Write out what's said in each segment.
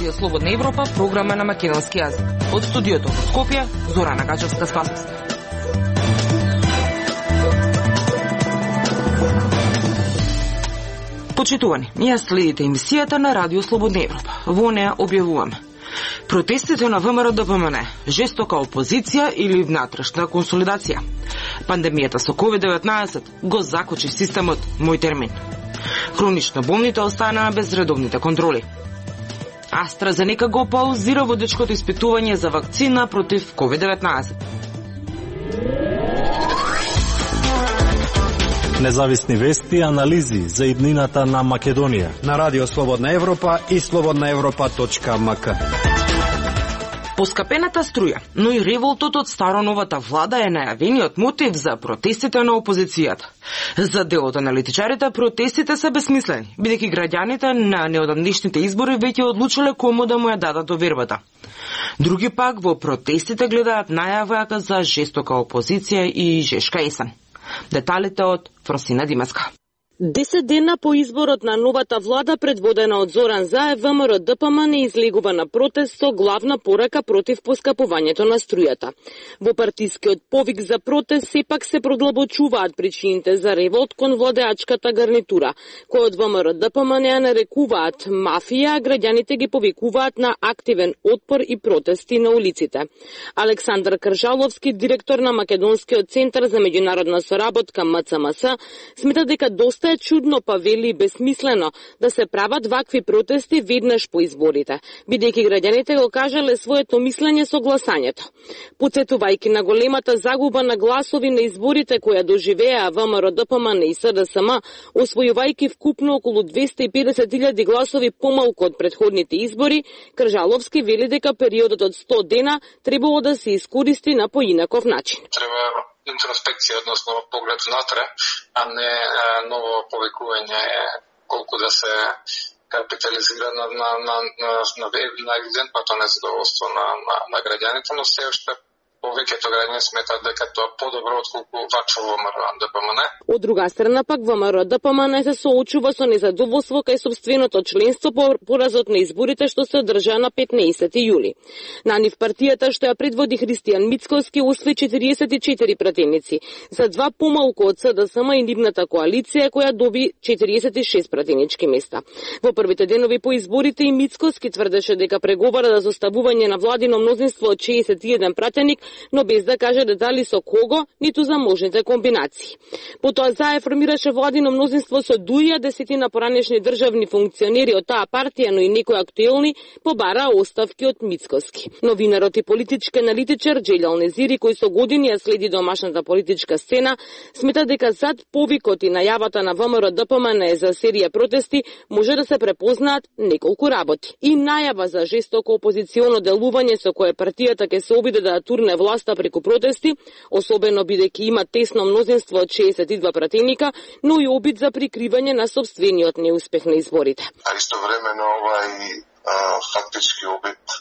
Радио Слободна Европа, програма на македонски јазик. Од студиото во Скопје, Зорана Гачевска-Спасовска. Почитувани, ја следите емисијата на Радио Слободна Европа. Во неа објавуваме протестите на ВМРО-ДПМН, жестока опозиција или внатрешна консолидација. Пандемијата со COVID-19 го закочи системот, мој термин. Хронично болните останаа без редовните контроли. AstraZeneca го паузира водечкото испитување за вакцина против COVID-19. Независни вести и анализи за иднината на Македонија на Радио Слободна Европа и slobodnaevropa.mk. Поскапената струја, но и револтот од староновата влада е најавениот мотив за протестите на опозицијата. За дел од аналитичарите, протестите се бесмислени, бидејќи граѓаните на неодамнешните избори веќе одлучиле кому да му ја дадат довербата. Други пак во протестите гледаат најава за жестока опозиција и жешка есен. Деталите од Фросина Димеска. 10 дена по изборот на новата влада, предводена од Зоран Заев, ВМРО-ДПМН излегува на протест со главна порака против поскапувањето на струјата. Во партискиот повик за протест сепак се продлабочуваат причините за револт кон владеачката гарнитура, кој од ВМРО-ДПМН ја нарекуваат мафија, а граѓаните ги повикуваат на активен отпор и протести на улиците. Александар Кржаловски, директор на Македонскиот центар за меѓународна соработка МЦМС, смета дека доста е чудно, па вели бесмислено да се прават вакви протести веднаш по изборите, бидејќи граѓаните го кажале своето мислење со гласањето. Потсетувајќи на големата загуба на гласови на изборите која доживеа ВМРО-ДПМН и СДСМ, освојувајќи вкупно околу 250.000 гласови помалку од претходните избори, Кржаловски вели дека периодот од 100 дена требало да се искористи на поинаков начин. Интроспекција, односно поглед внатре, а не ново повикување колку да се капитализира на евидентното незадоволство на граѓаните, но се уште повеќето граѓани сметаат дека тоа подобро отколку вачо ВМРО-ДПМН. Од друга страна пак ВМРО-ДПМН се соочува со незадоволство кај сопственото членство по поразот на изборите што се одржа на 15 јули. На нив партијата што ја предводи Христијан Мицковски освои 44 пратеници, за два помалку од СДСМ и нивната коалиција која доби 46 пратенички места. Во првите денови по изборите и Мицковски тврдеше дека преговара за составување на владино мнозинство од 61 пратеник, но без да каже детали со кого, ниту за можните комбинации. Потоа Заев формираше владино мнозинство со дуја десетина поранешни државни функционери од таа партија, но и некои актуелни побараа оставки од Мицковски. Новинарот и политички аналитичар Джелјал Незири, кој со години ја следи домашната политичка сцена, смета дека зад повикот и најавата на ВМРО-ДПМН за серија протести може да се препознаат неколку работи. И најава за жестоко опозиционо делување со кое партијата ќе се обиде да турне власта преку протести, особено бидејќи има тесно мнозинство од 62 пратеника, но и обид за прикривање на сопствениот неуспех на изборите. А истовремено овај фактички обид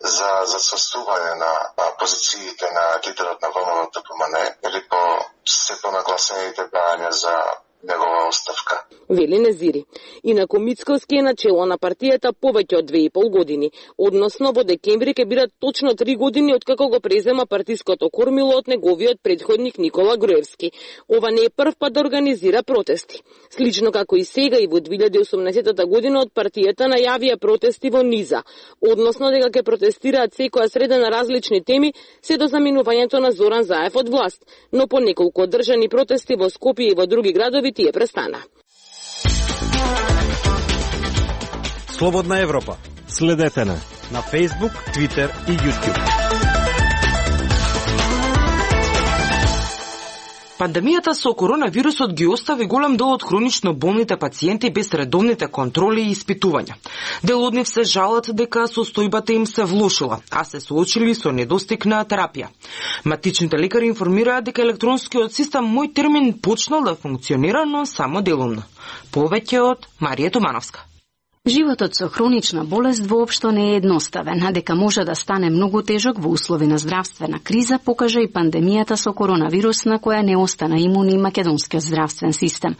за сврстување на позициите на лидерот на ВМРО-ДПМН или по се понагласените брања за негова оставка. Вели Незири. Инаку Мицковски е начело на партијата повеќе од 2,5 години. Односно во декември ќе бидат точно 3 години откако го презема партиското кормило од неговиот предходник Никола Груевски. Ова не е прв пат да организира протести. Слично како и сега и во 2018 година од партијата најавија протести во Низа. Односно дека ќе протестираат секоја среда на различни теми се до заминувањето на Зоран Заев од власт. Но по неколку одржани протести во Скопје и во други градови тие престана. Слободна Европа. Следете на Facebook, Twitter и YouTube. Пандемијата со коронавирусот ги остави голем дел од хронично болните пациенти без редовните контроли и испитувања. Дел од нив се жалат дека состојбата им се влошила, а се соочили со недостиг на терапија. Матичните лекари информираат дека електронскиот систем мој термин почнал да функционира, но само делумно. Повеќе од Марија Тумановска. Животот со хронична болест воопшто не е едноставен, а дека може да стане многу тежок во услови на здравствена криза, покажа и пандемијата со коронавирус, на која не остана имун и македонскиот здравствен систем.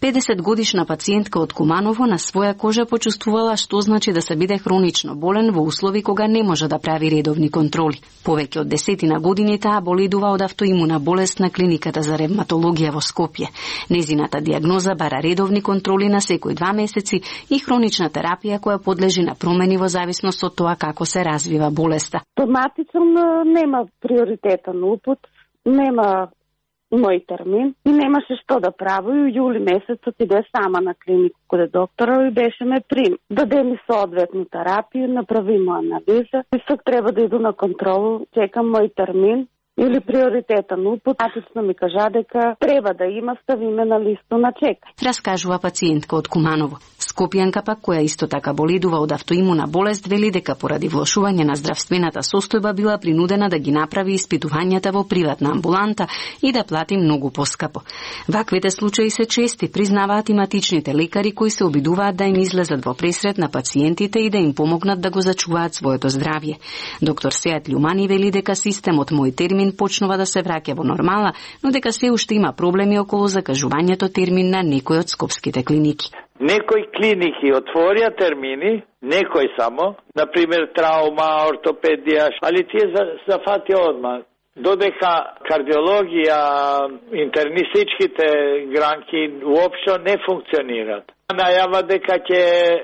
50-годишна пациентка од Куманово на своја кожа почувствувала што значи да се биде хронично болен во услови кога не може да прави редовни контроли. Повеќе од 10 години таа боледува од автоимуна болест на клиниката за ревматологија во Скопје. Незината диагноза бара редовни контроли на секој 2 месеци и хронична терапија која подлежи на промени во зависност од тоа како се развива болеста. Автоматично нема приоритетен упут, нема мој термин и немаше што да прави. И јули месец отиде сама на клинику каде доктора и беше ме прим. Даде ми соодветна терапија, направи му анализа и сак треба да иду на контролу, чекам мој термин или приоритетен упут. Атично ми кажа дека треба да има, стави ме на листу на чекање. Раскажува пациентка од Куманово. Скопјанка пак, која исто така боледува од автоимуна болест, вели дека поради влошување на здравствената состојба била принудена да ги направи испитувањата во приватна амбуланта и да плати многу поскапо. Ваквите случаи се чести, признаваат и матичните лекари кои се обидуваат да им излезат во пресред на пациентите и да им помогнат да го зачуваат своето здравје. Доктор Сеат Љумани вели дека системот Мој термин почнува да се враќа во нормала, но дека се уште има проблеми околу закажувањето термин на некои од скопските клиники. Некои клиники отворија термини, некои само, например траума, ортопедија, али тие зафатија одма. Додека кардиологија, интернистичките гранки уопшто не функционират. Најава дека ќе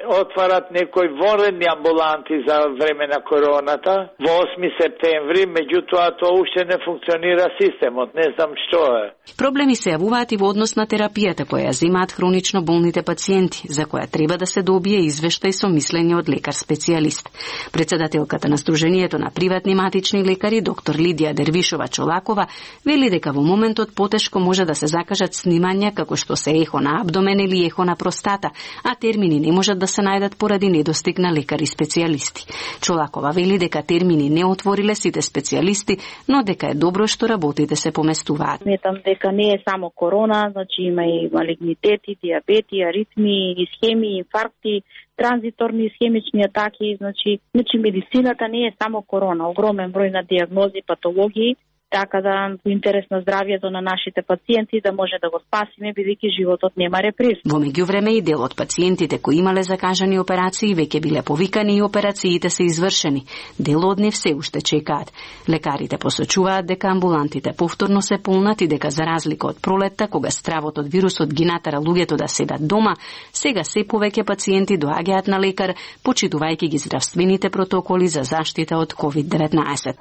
отварат некои вонредни амбуланти за време на короната во 8 септември, меѓутоа тоа уште не функционира системот, не знам што е. Проблеми се јавуваат и во однос на терапијата која земаат хронично болните пациенти, за која треба да се добие извештај со мислење од лекар-специјалист. Председателката на Сдруженијето на приватни матични лекари, доктор Лидија Дервишова Чолакова, вели дека во моментот потешко може да се закажат снимања како што се ехо на абдомен или ехо на простата, а термини не можат да се најдат поради недостиг на лекари-специјалисти. Чолакова вели дека термини не отвориле сите специјалисти, но дека е добро што работите се поместуваат. Сметам дека не е само корона, значи има и малигнитети, диабети, аритми, исхеми, инфаркти, транзиторни исхемични атаки, значи медицината не е само корона, огромен број на диагнози, патологии, така да во интерес на здравјето на нашите пациенти да може да го спасиме, бидејќи животот нема реприз. Во меѓувреме и дел од пациентите кои имале закажани операции веќе биле повикани и операциите се извршени. Дел од нив се уште чекаат. Лекарите посочуваат дека амбулантите повторно се полнати, дека за разлика од пролетта, кога стравот од вирусот ги натера луѓето да седат дома, сега се повеќе пациенти доаѓаат на лекар, почитувајќи ги здравствените протоколи за заштита од COVID-19.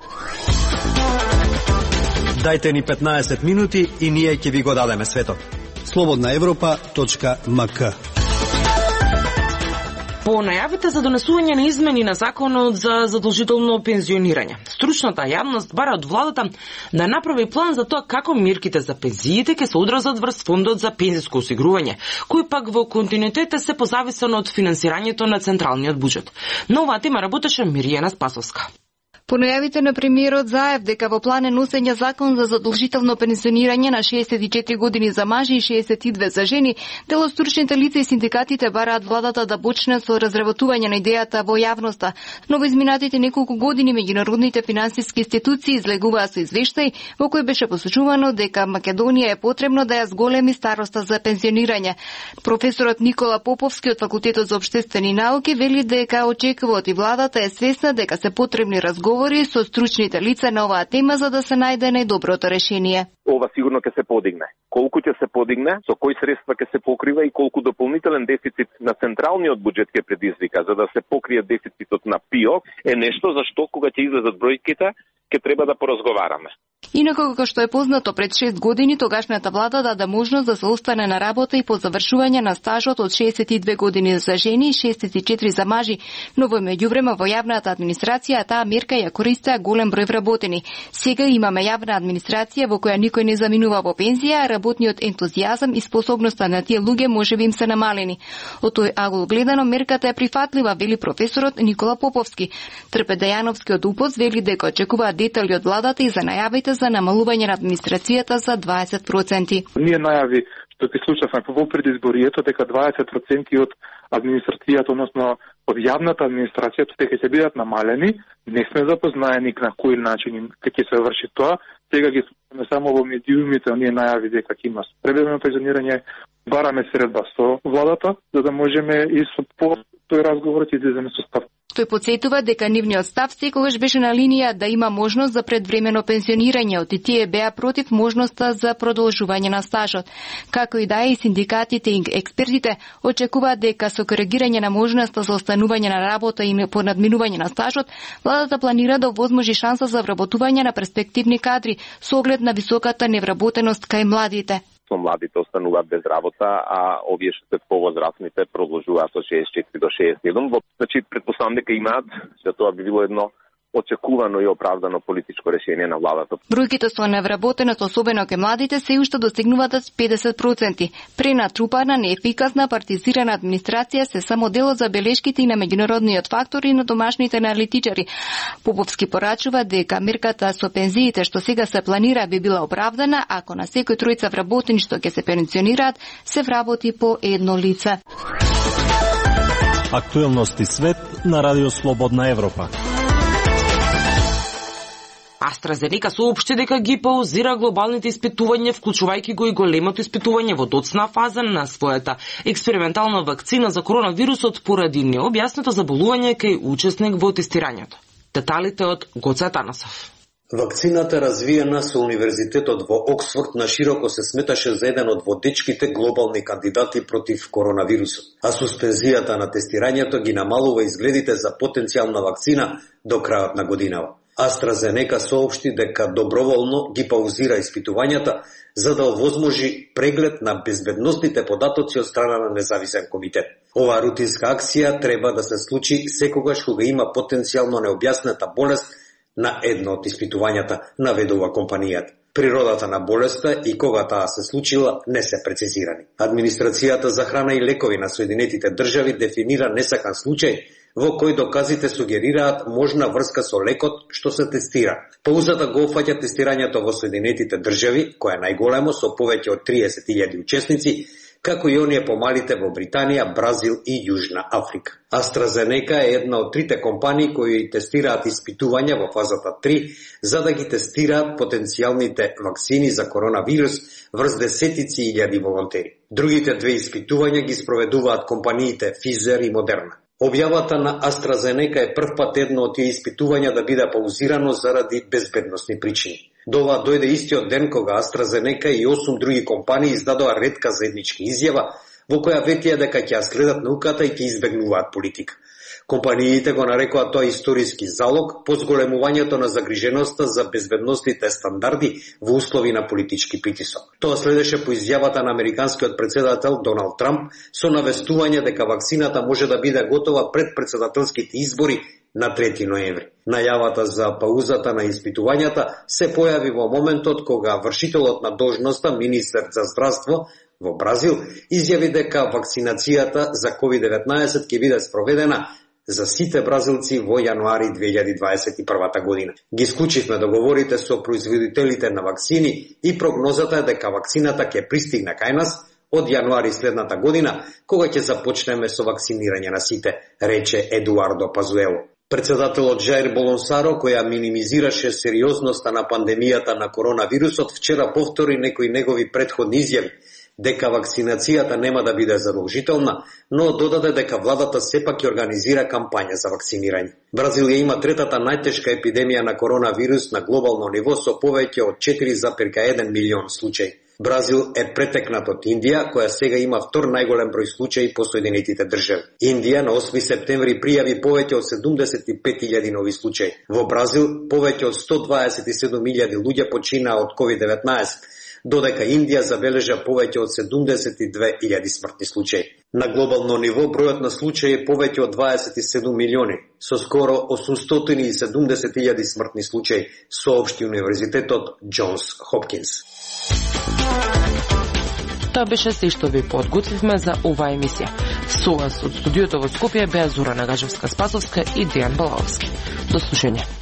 Дајте ни 15 минути и ние ќе ви го дадеме светот. slobodnaevropa.mk. По најавите за донесување на измени на законот за задолжително пензионирање, стручната јавност бара од владата да направи план за тоа како мерките за пензиите ќе се одразат врз фондот за пензиско осигурување, кој пак во континуитет се позависен од финансирањето на централниот буџет. На оваа тема работеше Миријана Спасовска. По најавите на премиерот Заев дека во план е носење закон за задолжително пензионирање на 64 години за мажи и 62 за жени, дел од стручните лица и синдикатите бараат владата да почне со разработување на идејата во јавноста. Но во изминатите неколку години меѓународните финансиски институции излегуваа со извештај во кој беше посочувано дека Македонија е потребно да ја зголеми староста за пензионирање. Професорот Никола Поповски од Факултетот за општествени науки вели дека очекуваат и владата е свесна дека се потребни разговори со стручните лица на оваа тема за да се најде најдоброто решение. Ова сигурно ќе се подигне. Колку ќе се подигне, со кои средства ќе се покрива и колку дополнителен дефицит на централниот буџет ќе предизвика за да се покрие дефицитот на ПИО е нешто за што кога ќе излезат бројките ќе треба да поразговараме. Инако, како што е познато, пред 6 години тогашната влада даде можност да се остане на работа и по завршување на стажот од 62 години за жени и 64 за мажи, но во меѓувреме во јавната администрација таа мерка ја користеа голем број вработени. Сега имаме јавна администрација во која никој не заминува во пензија, а работниот ентузијазам и способноста на тие луѓе можеби им се намалени. Од тој агол гледано мерката е прифатлива, вели професорот Никола Поповски. Трпе Дејановскиот УПОС вели дека очекуваат детали од владата и за најавите за намалување на администрацијата за 20%. Ние најави што ќе слушавме во предизборието дека 20% од администрацијата, односно од јавната администрација, дека ќе бидат намалени. Не сме запознаени на кој начин ќе се врши тоа. Сега ги слушаме само во медиумите, оние најави дека ќе има пребрежно пензионирање. Бараме средба со владата, за да можеме и со тој разговор ќе излеземе со став. Тој потсетува дека нивниот став секогаш беше на линија да има можност за предвремено пензионирање, и тие беа против можноста за продолжување на стажот. Како и да е, и синдикатите и експертите очекуваат дека со коригирање на можноста за останување на работа и по надминување на стажот, владата планира да овозможи шанса за вработување на перспективни кадри со оглед на високата невработеност кај младите. Младите остануваат без работа, а овие што се повозрастните продолжуваат со 64 до 61. Значи, претпоставам дека имаат, што тоа би било едно очекувано и оправдано политичко решение на владата. Бројките со невработеност, особено кај младите, се уште достигнуваат 50%. Пренатрупана, неефикасна, партизирана администрација се само дел од забелешките и на меѓународниот фактор и на домашните аналитичари. Поповски порачува дека мерката со пензиите што сега се планира би била оправдана ако на секој тројца вработени што ќе се пензионираат се вработи по едно лице. Актуелности свет на Радио Слободна Европа. AstraZeneca соопшти дека ги паузира глобалните испитувања, вклучувајќи го и големото испитување во доцна фаза на својата експериментална вакцина за коронавирусот поради необјаснето заболување кај учесник во тестирањето. Деталите од Гоце Атанасов. Вакцината развиена со Универзитетот во Оксфорд на широко се сметаше за еден од водечките глобални кандидати против коронавирусот, а суспензијата на тестирањето ги намалува изгледите за потенцијална вакцина до крајот на годинава. AstraZeneca соопшти дека доброволно ги паузира испитувањата за да овозможи преглед на безбедностните податоци од страна на независен комитет. Оваа рутинска акција треба да се случи секогаш кога има потенцијално необјаснета болест на едно од испитувањата, наведува компанијата. Природата на болеста и кога таа се случила не се прецизирани. Администрацијата за храна и лекови на Соединетите држави дефинира несакан случај во кој доказите сугерираат можна врска со лекот што се тестира. Паузата го опфаќа тестирањето во Соединетите држави, кој е најголемо со повеќе од 30.000 учесници, како и оние помалите во Британија, Бразил и Јужна Африка. AstraZeneca е една од трите компании кои тестираат испитувања во фазата 3 за да ги тестираат потенцијалните вакцини за коронавирус врз десетици илјади волонтери. Другите две испитувања ги спроведуваат компаниите Pfizer и Moderna. Објавата на AstraZeneca е првпат едно од тие испитувања да биде паузирано заради безбедносни причини. До ова дојде истиот ден кога AstraZeneca и 8 други компании издадоа ретка заедничка изјава во која ветија дека ќе ја следат науката и ќе избегнуваат политика. Компаниите го нарекоа тоа историски залог по зголемувањето на загриженоста за безбедностните стандарди во услови на политички притисок. Тоа следеше по изјавата на американскиот претседател Доналд Трамп со навестување дека вакцината може да биде готова пред претседателските избори на 3 ноември. Најавата за паузата на испитувањата се појави во моментот кога вршителот на должноста, министер за здравство во Бразил, изјави дека вакцинацијата за COVID-19 ќе биде спроведена за сите бразилци во јануари 2021 година. Ги склучивме договорите со производителите на вакцини и прогнозата е дека вакцината ќе пристигне кај нас од јануари следната година, кога ќе започнеме со вакцинирање на сите, рече Едуардо Пазуело. Председателот Жаир Болонсаро, која минимизираше сериозноста на пандемијата на коронавирусот, вчера повтори некои негови претходни изјави, дека вакцинацијата нема да биде задолжителна, но додаде дека владата сепак ќе организира кампања за вакцинирање. Бразил има третата најтешка епидемија на коронавирус на глобално ниво со повеќе од 4,1 милион случаи. Бразил е претекнат од Индија, која сега има втор најголем број случаи по Соединетите држави. Индија на 8 септември пријави повеќе од 75.000 нови случаи. Во Бразил повеќе од 127.000 луѓе починаа од COVID-19, додека Индија забележа повеќе од 72.000 смртни случаи. На глобално ниво бројот на случаи е повеќе од 27 милиони, со скоро 870.000 смртни случаи, соопшти Универзитетот Џонс Хопкинс. Тоа беше се што ви подготвивме за оваа емисија. Со вас од студиото во Скопје беа Зора Нагажевска-Спасовска и Дејан Балаовски. До слушање.